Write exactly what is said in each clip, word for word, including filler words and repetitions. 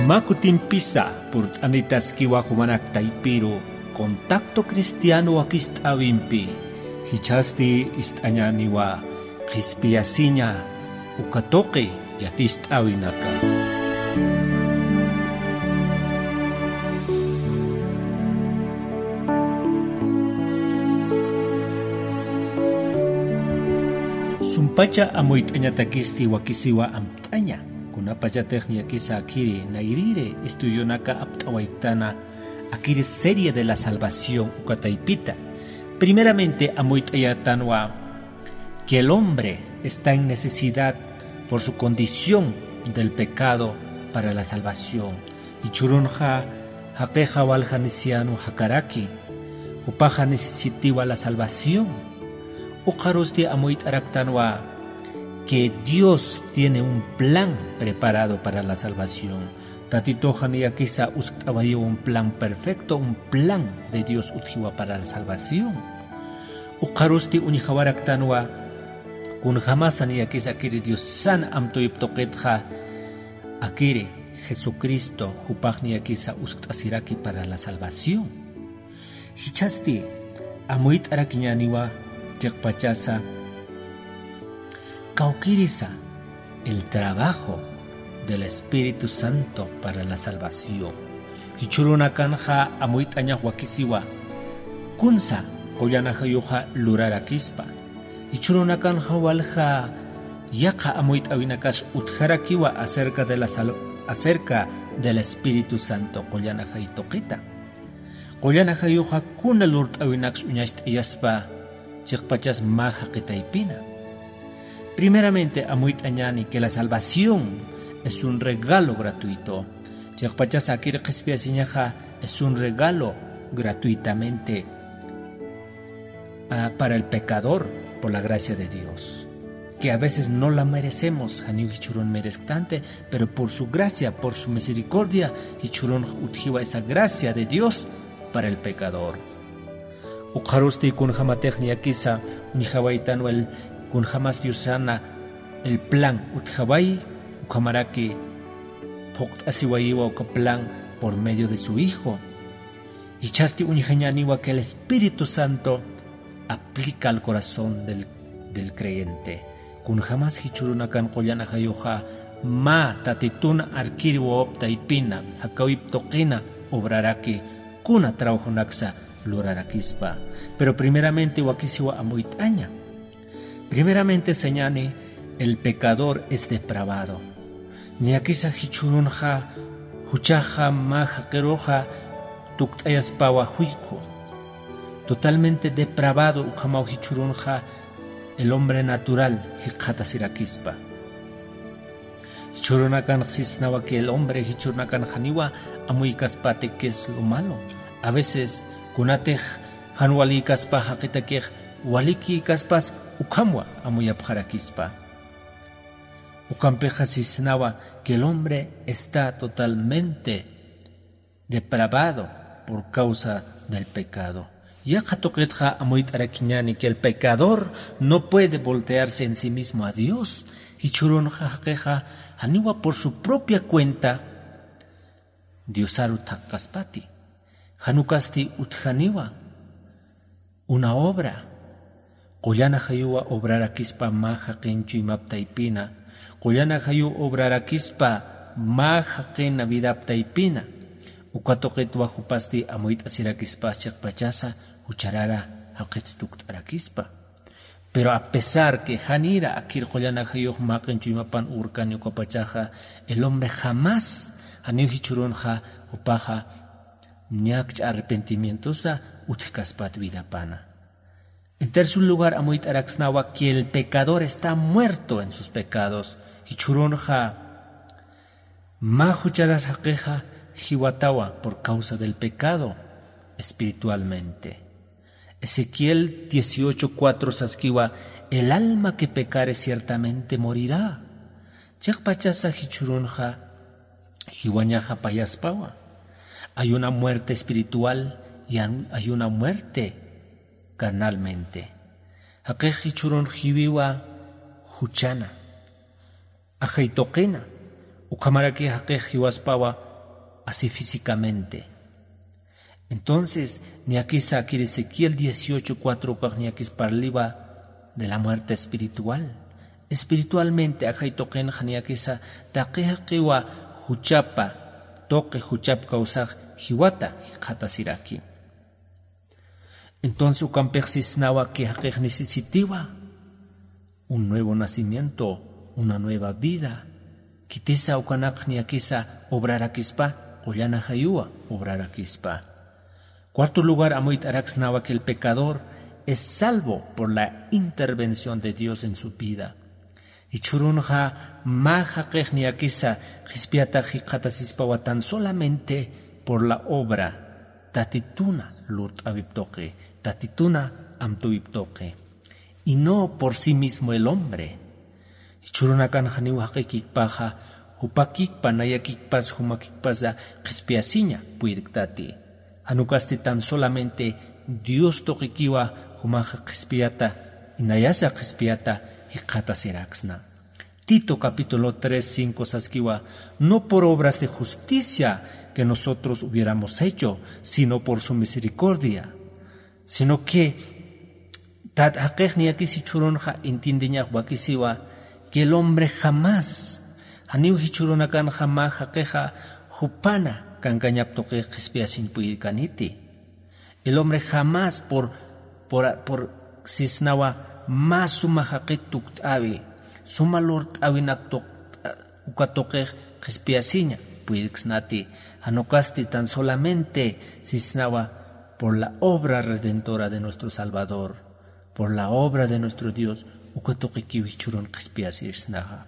Mä kutimpisa purt'anitaskiwa jumanak taypiru Contacto Cristiano wakist'äwimpi, jichhasti ist'añäniwa qhispiyasiña uka tuqi yatist'äwinaka. Sumpacha amuyt'añatakisti wakisiwa amt'aña, kunapachatix niyakisa akiri nayrïri estudionaka apt'awayktäna, akiri serie de la salvación uka taypita. Primeramente amuyt'ayätanwa que el hombre está en necesidad por su condición del pecado para la salvación. Jichhürunxa jaqixa walja necesitanwa jakaraki, jupaxa necesitiwa la salvación. Ukxarusti amuyt'araktanwa que Dios tiene un plan preparado para la salvación. Tatituxa niyakisa uskt'awayiwa un plan perfecto, un plan de Dios utjiwa para la salvación. Ukxarusti uñjawaraktanwa kunjämasa niyakisa akiri Diosan amtuyip tuqitxa, akiri Jesucristo jupax niyakisa uskt'asiraki para la salvación. Jichhasti amuyt'arakiñäniwa chiqpachasa, kawkïrisa el trabajo del Espíritu Santo para la salvación. Jichhürunakanxa amuyt'añax wakisiwa kunsa qullan ajayuxa lurarakispa. Jichhürunakanxa walja yaqha amuyt'äwinakas utjarakiwa acerca de la sal-, acerca del Espíritu Santo qullan ajay tuqita. Qullan ajayuxa kuna lurt'äwinaks uñacht'ayaspa chiqpachas mä jaqi taypina. Primeramente amuyt'añäni que la salvación es un regalo gratuito. Chiqpachas akir qhispiyasiñaxa es un regalo gratuitamente, ah, para el pecador por la gracia de Dios, que a veces no la merecemos, janiw jichhürun meresktanti, pero por su gracia, por su misericordia, jichhürun utjiwa esa gracia de Dios para el pecador. Ukxarusti kunjämatix niyakisa uñjawaytanwa el kunjämas Diosana el plan utjawayi, ukhamaraki phuqt'asiwayiwa uka plan por medio de su Hijo. Jichhasti uñjañäniwa que el Espíritu Santo aplica al corazón del, del creyente. Kunjämas jichhürunakan qullan ajayuxa mä Tatitun arkir wawap taypina, jakäwip tuqina obraraki, kuna trabajonaksa lurarakispa. Pero primeramente wakisiwa amuyt'aña. Primeramente sañäni, el pecador es depravado. Niyakisa jichhürunxa juchaxa mä jaqiruxa tukt'ayaspawa juyku. Totalmente depravado ukhamaw jichhürunxa el hombre natural jikxatasirakispa. Jichhürunakanx sisnawa que el hombre jichhürunakan janiwa amuykaspati qué es lo malo. A veces kunatix jan walïkaspa jaqitakix walikïkaspas ukhamwa amuyapxarakispa. Ukampixa sisnawa que el hombre está totalmente depravado por causa del pecado. Yaqha tuqitxa amuyt'arakiñäni que el pecador no puede voltearse en sí mismo a Dios. Jichhürunxa jaqixa janiwa por su propia cuenta Diosaru thaqkaspati. Jan ukasti utjaniwa una obra. Qullan ajayuwa obrarakispa mä jaqin chuymap taypina. Qullan ajayu obrarakispa mä jaqina vidap taypina. Uka tuqitwa jupasti amuyt'asirakispas chiqpachasa jucharara jaqit tukt'arakispa. Pero a pesar que janïra akir qullan ajayux mä jaqin chuymapan urkani ukapachaxa, el hombre jamás, janiw jichhürunxa jupaxa ñakcha arrepentimientosa utjkaspat vidapana. En tercer lugar, amuyt'araksnawa que el pecador está muerto en sus pecados. Jichhürunxa mä jucharar jaqixa jiwatawa por causa del pecado espiritualmente. Ezequiel dieciocho cuatro saskiwa: "El alma que pecare ciertamente morirá". Chiqpachasa jichhürunxa jiwañaxa payaspawa. Hay una muerte espiritual y an-, hay una muerte carnalmente. Jaqix jichhürun jiwiwa juchana, ajay tuqina, ukhamaraki jaqix jiwaspawa así físicamente. Entonces, niyakisa kiri Ezequiel dieciocho cuatro ukax niyakis parliwa de la muerte espiritual. Espiritualmente ajay tuqinxa niyakisa taqi jaqiwa juchapa, tuqi juchap kawsax jiwata jikxatasiraki. Entonces ukampix sisnawa que jaqix necesitiwa un nuevo nacimiento, una nueva vida. Khitisa ukanakx niyakisa obrarakispa, qullan ajayuwa obrarakispa. Cuarto lugar, amuyt'araksnawa que el pecador es salvo por la intervención de Dios en su vida. Jichhürunxa mä jaqix niyakisa qhispiyatax jikxatasispawa tan solamente por la obra, Tatituna lurt'äwip tuqi, Tatituna amtüwip tuqi. Y no por sí mismo el hombre. Jichhürunakanxa janiw jaqikikpaxa, jupakikpa, nayakikpas, jumakikpasa qhispiyasiña puyirktati. Jan ukasti tan solamente Dios tuqikiwa jumaxa qhispiyata, y nayasa qhispiyata jikxatasiraksna. Tito capítulo tres, cinco saskiwa, no por obras de justicia que nosotros hubiéramos hecho, sino por su misericordia. Sino que tat jaqix niyakis jichhürunxa entiendeñax wakisiwa que el hombre jamás, janiw jichhürunakanxa mä jaqixa jupana kankañap tuqix qhispiyasiñ puyirkaniti. El hombre jamás por, por, por sisnawa mä suma jaqit tukt'äwi, suma lurt'äwinak tuq-, uka tuqix qhispiyasiña puyirksnati, jan ukasti tan solamente sisnawa por la obra redentora de nuestro Salvador, por la obra de nuestro Dios, uka tuqikiw jichhürun qhispiyasirsnaxa.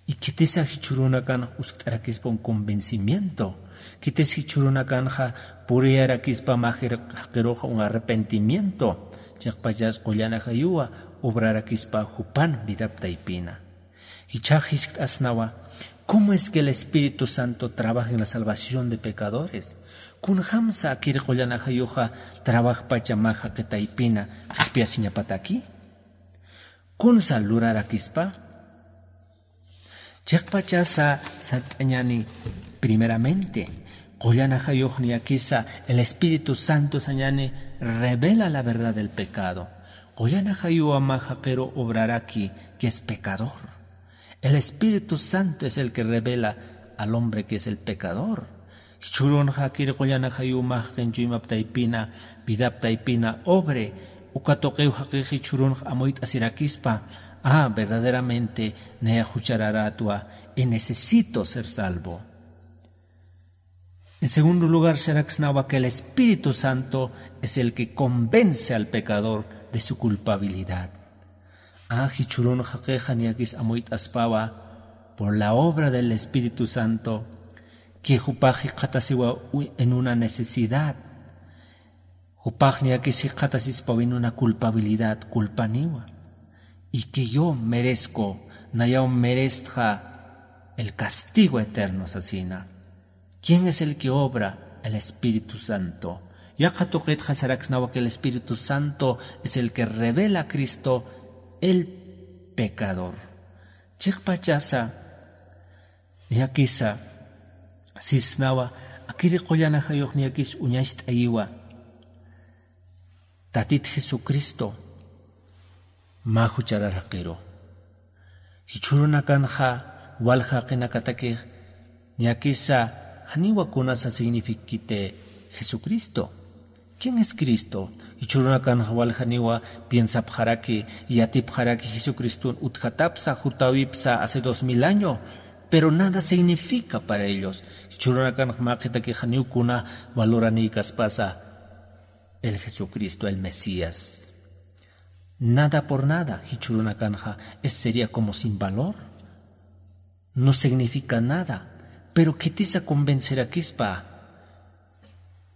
Y khitisa jichhürunakan uskt'arakispa un convencimiento, khitis jichhürunakanxa puriyarakispa mä jir-, jaqiruxa un arrepentimiento, chiqpachas qullan ajayuwa obrarakispa jupan vidap taypina. Jichhax jiskt'asnawa, ¿cómo es que el Espíritu Santo trabaja en la salvación de pecadores? Kunjamsa akir qullan ajayuxa trabajpacha mä jaqi taypina qhispiyasiñapataki? Kunsa lurarakispa? Chiqpachasa sart'añäni, primeramente, qullan ajayux niyakisa el Espíritu Santo sañäni revela la verdad del pecado. Qullan ajayuwa mä jaqiru obraraki que es pecador. El Espíritu Santo es el que revela al hombre que es el pecador. Jichhürunxa akir qullan ajayuw mä jaqin chuymap taypina, vidap taypina obre, uka tuqiw jaqix jichhürunxa amuyt'asirakispa, ah, verdaderamente naya juchararätwa y necesito ser salvo. En segundo lugar, saraksnawa que el Espíritu Santo es el que convence al pecador de su culpabilidad. Ah, jichhürun jaqixa niyakis amuyt'aspawa por la obra del Espíritu Santo, que jupax jikxatasiwa u-, en una necesidad. Jupax niyakis jikxatasispawa en una culpabilidad, culpaniwa. Y que yo merezco, nayaw merestxa el castigo eterno sasina. ¿Quién es el que obra? El Espíritu Santo. Yaqha tuqitxa saraksnawa que el Espíritu Santo es el que revela a Cristo el pecador. Chiqpachasa, niyakisa, sisnawa, akiri qullan ajayux niyakis uñacht'ayiwa. Tatit Jesucristo mä jucharar jaqiru. Jichhürunakanxa walja jaqinakatakix niyakisa janiwa kunasa signifikkiti Jesucristo. ¿Quién es Cristo? Jichhürunakanxa waljaniwa piensapxaraki, yatipxaraki Jesucriston utjatapsa, jutäwipsa hace dos mil año, pero nada significa para ellos. Jichhürunakanxa mä jaqitaki janiw kuna valoranïkaspasa el Jesucristo, el Mesías. Nada por nada, jichhürunakanxa, es, sería como sin valor. No significa nada. Pero khitisa convencerakispa.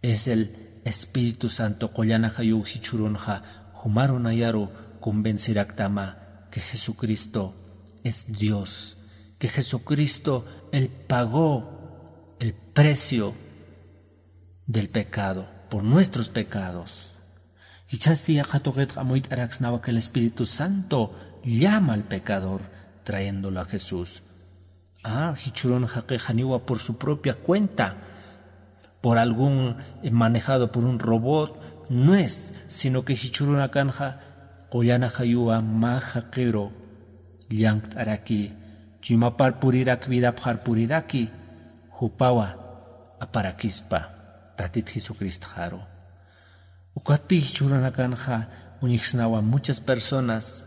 Es el Espíritu Santo, qullan ajayuw jichhürunxa, jumaru nayaru convenceraktama que Jesucristo es Dios, que Jesucristo, Él pagó el precio del pecado, por nuestros pecados. Jichhasti yaqha tuqitxa amuyt'araksnawa que el Espíritu Santo llama al pecador trayéndolo a Jesús. Ah, jichhürun jaqix janiwa por su propia cuenta por algún, eh, manejado por un robot, no es, sino que jichhürunakanxa qullan ajayuwa mä jaqiru llank't'araki, chuymapar purirak, vidapxar puriraki, jupawa aparakispa Tatit Jesucristxaru. Ukatpï jichhürunakanxa uñjsnawa muchas personas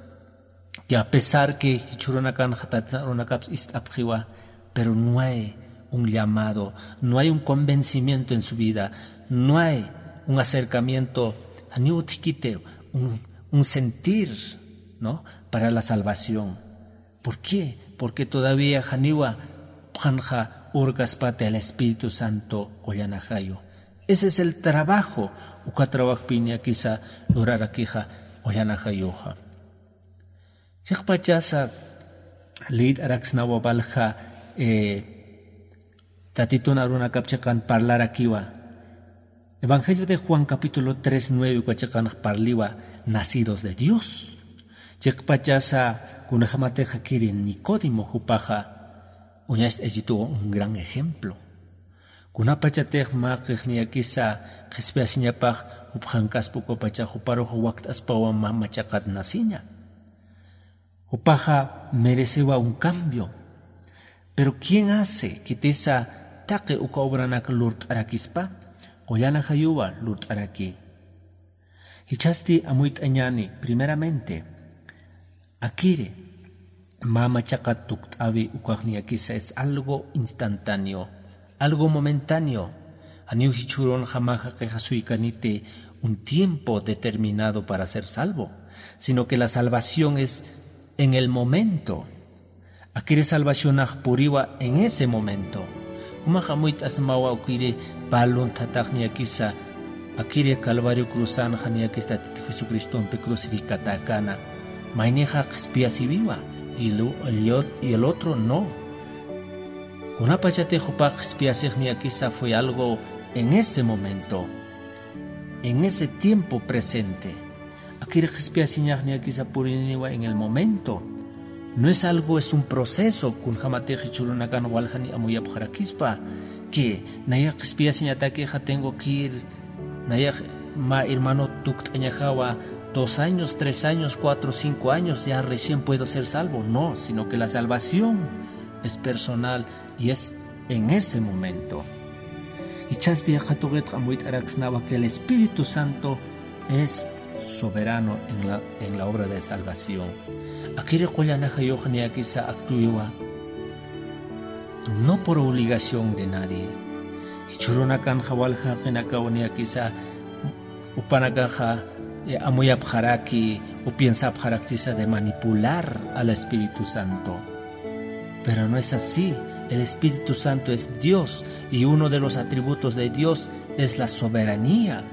que a pesar que jichhürunakanxa Tatit arunakaps ist'apxiwa, pero no hay un llamado, no hay un convencimiento en su vida, no hay un acercamiento, janiw utjkiti un, un sentir, ¿no? Para la salvación. ¿Por qué? Porque todavía janiwa phanxa urkaspati el Espíritu Santo qullan ajayu. Ese es el trabajo, uka trabajpï niyakisa lurarakixa qullan ajayuxa. Chiqpachasa liyt'araksnawa walja, eh, Tatitun arunakap chiqan parlarakiwa. Evangelio de Juan capítulo tres nueve uka chiqanx parliwa nacidos de Dios. Chiqpachasa kunjamatixa kiri Nicodemo jupaxa uñacht'aychituwa un gran ejemplo. Kunapachatix mä qix niyakisa qhispiyasiñapax jupxankaspa ukapacha juparux wakt'aspawa mä machaqat naciña. Jupaxa merecewa un cambio. Pero ¿quién hace? Khitisa taqi uka obranak lurt'arakispa, qullan ajayuwa lurt'araki. Jichhasti amuyt'añäni, primeramente, akiri mä machaqat tukt'awi ukax niyakisa es algo instantáneo, algo momentáneo. Janiw jichhürunxa mä jaqixa suykaniti un tiempo determinado para ser salvo, sino que la salvación es en el momento. Akiri salvacionax puriwa en ese momento. Jumax amuyt'asmawa ukiri pä luntatax niyakisa, akiri Calvario cruzanxa niyakisa Tatit Jesucristompi crucificatäkäna. Maynixa qhispiyasiwiwa, y el, y el ot-, y el otro no. Kunapachatix jupax qhispiyasix niyakisa fue algo en ese momento, en ese tiempo presente. Akiri qhispiyasiñax niyakisa purininiwa en el momento. No es algo, es un proceso, kunjamatix jichhürunakan waljani amuyapxarakispa, que nayax qhispiyasiñatakixa tengo que ir, nayax mä hermano tukt'añajawa dos años, tres años, cuatro, cinco años, ya recién puedo ser salvo. No, sino que la salvación es personal y es en ese momento. Jichhasti yaqha tuqitxa amuyt'araksnawa que el Espíritu Santo es soberano en la, en la obra de salvación. Akiri qullan ajayux niyakisa actuiwa, no por obligación de nadie. Jichhürunakanxa walja jaqinakaw niyakisa jupanakaxa, eh, amuyapxaraki o piensapxaraktisa de manipular al Espíritu Santo. Pero no es así. El Espíritu Santo es Dios y uno de los atributos de Dios es la soberanía.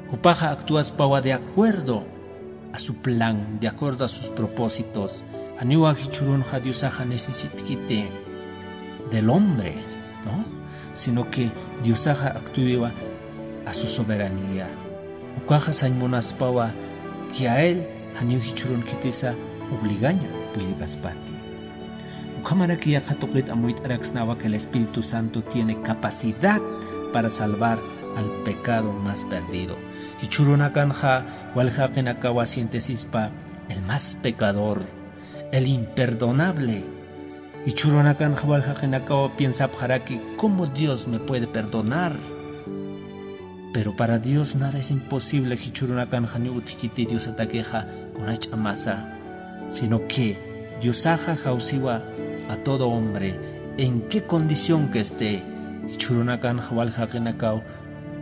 Jupaxa actuaspawa de acuerdo a su plan, de acuerdo a sus propósitos. Janiwa jichhürunxa Diosaxa necesitkiti del hombre, ¿no? Sino que Diosaxa actuiwa a su soberanía. Ukaxa sañ munaspawa que a él janiw jichhürun khitisa obligaña puyirkaspati. Ukhamaraki yaqha tuqit amuyt'araksnawa que el Espíritu Santo tiene capacidad para salvar al pecado más perdido. Jichhürunakanxa walja jaqinakawa sientesispa el más pecador, el imperdonable. Jichhürunakanxa walja jaqinakawa piensapxaraki, ¿cómo Dios me puede perdonar? Pero para Dios nada es imposible, jichhürunakanxa janiw utjkiti Diosatakixa kuna ch'amasa, sino que Diosaxa jawsiwa a todo hombre, en qué condición que esté. Jichhürunakanxa walja jaqinakaw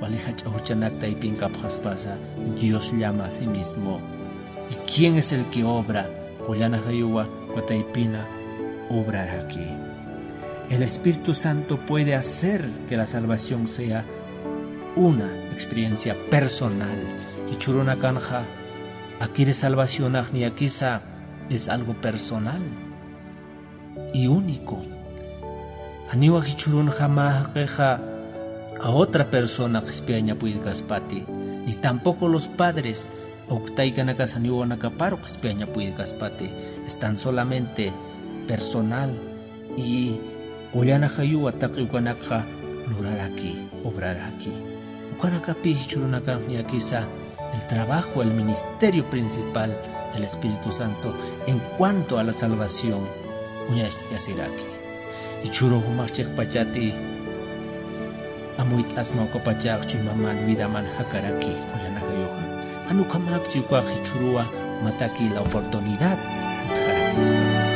wali jach'a juchanak taypinkapxaspasa, Dios llama a sí mismo. ¿Y quién es el que obra? Qullan ajayuwa uka taypina obraraki. El Espíritu Santo puede hacer que la salvación sea una experiencia personal. Jichhürunakanxa akiri salvacionax niyakisa es algo personal y único. Janiwa jichhürunxa mä jaqixa a otra persona qhispiyaña puyirkaspati, ni tampoco los padres o taykanakasa janiw wawanakaparu qhispiyaña puyirkaspati. Es tan solamente personal y qullan ajayuwa taqi ukanakxa luraraki, obraraki. Ukanakapi jichhürunakan ñakisa el trabajo, el ministerio principal del Espíritu Santo en cuanto a la salvación uñast'asiraki. Jichhüru jumax chiqpachati amuyt'asma ukapachax chuymaman vidaman jakaraki qullanakayuxa. Jan ukhamakchi ukax jichhüruwa mataki la oportunidad utjarakispa.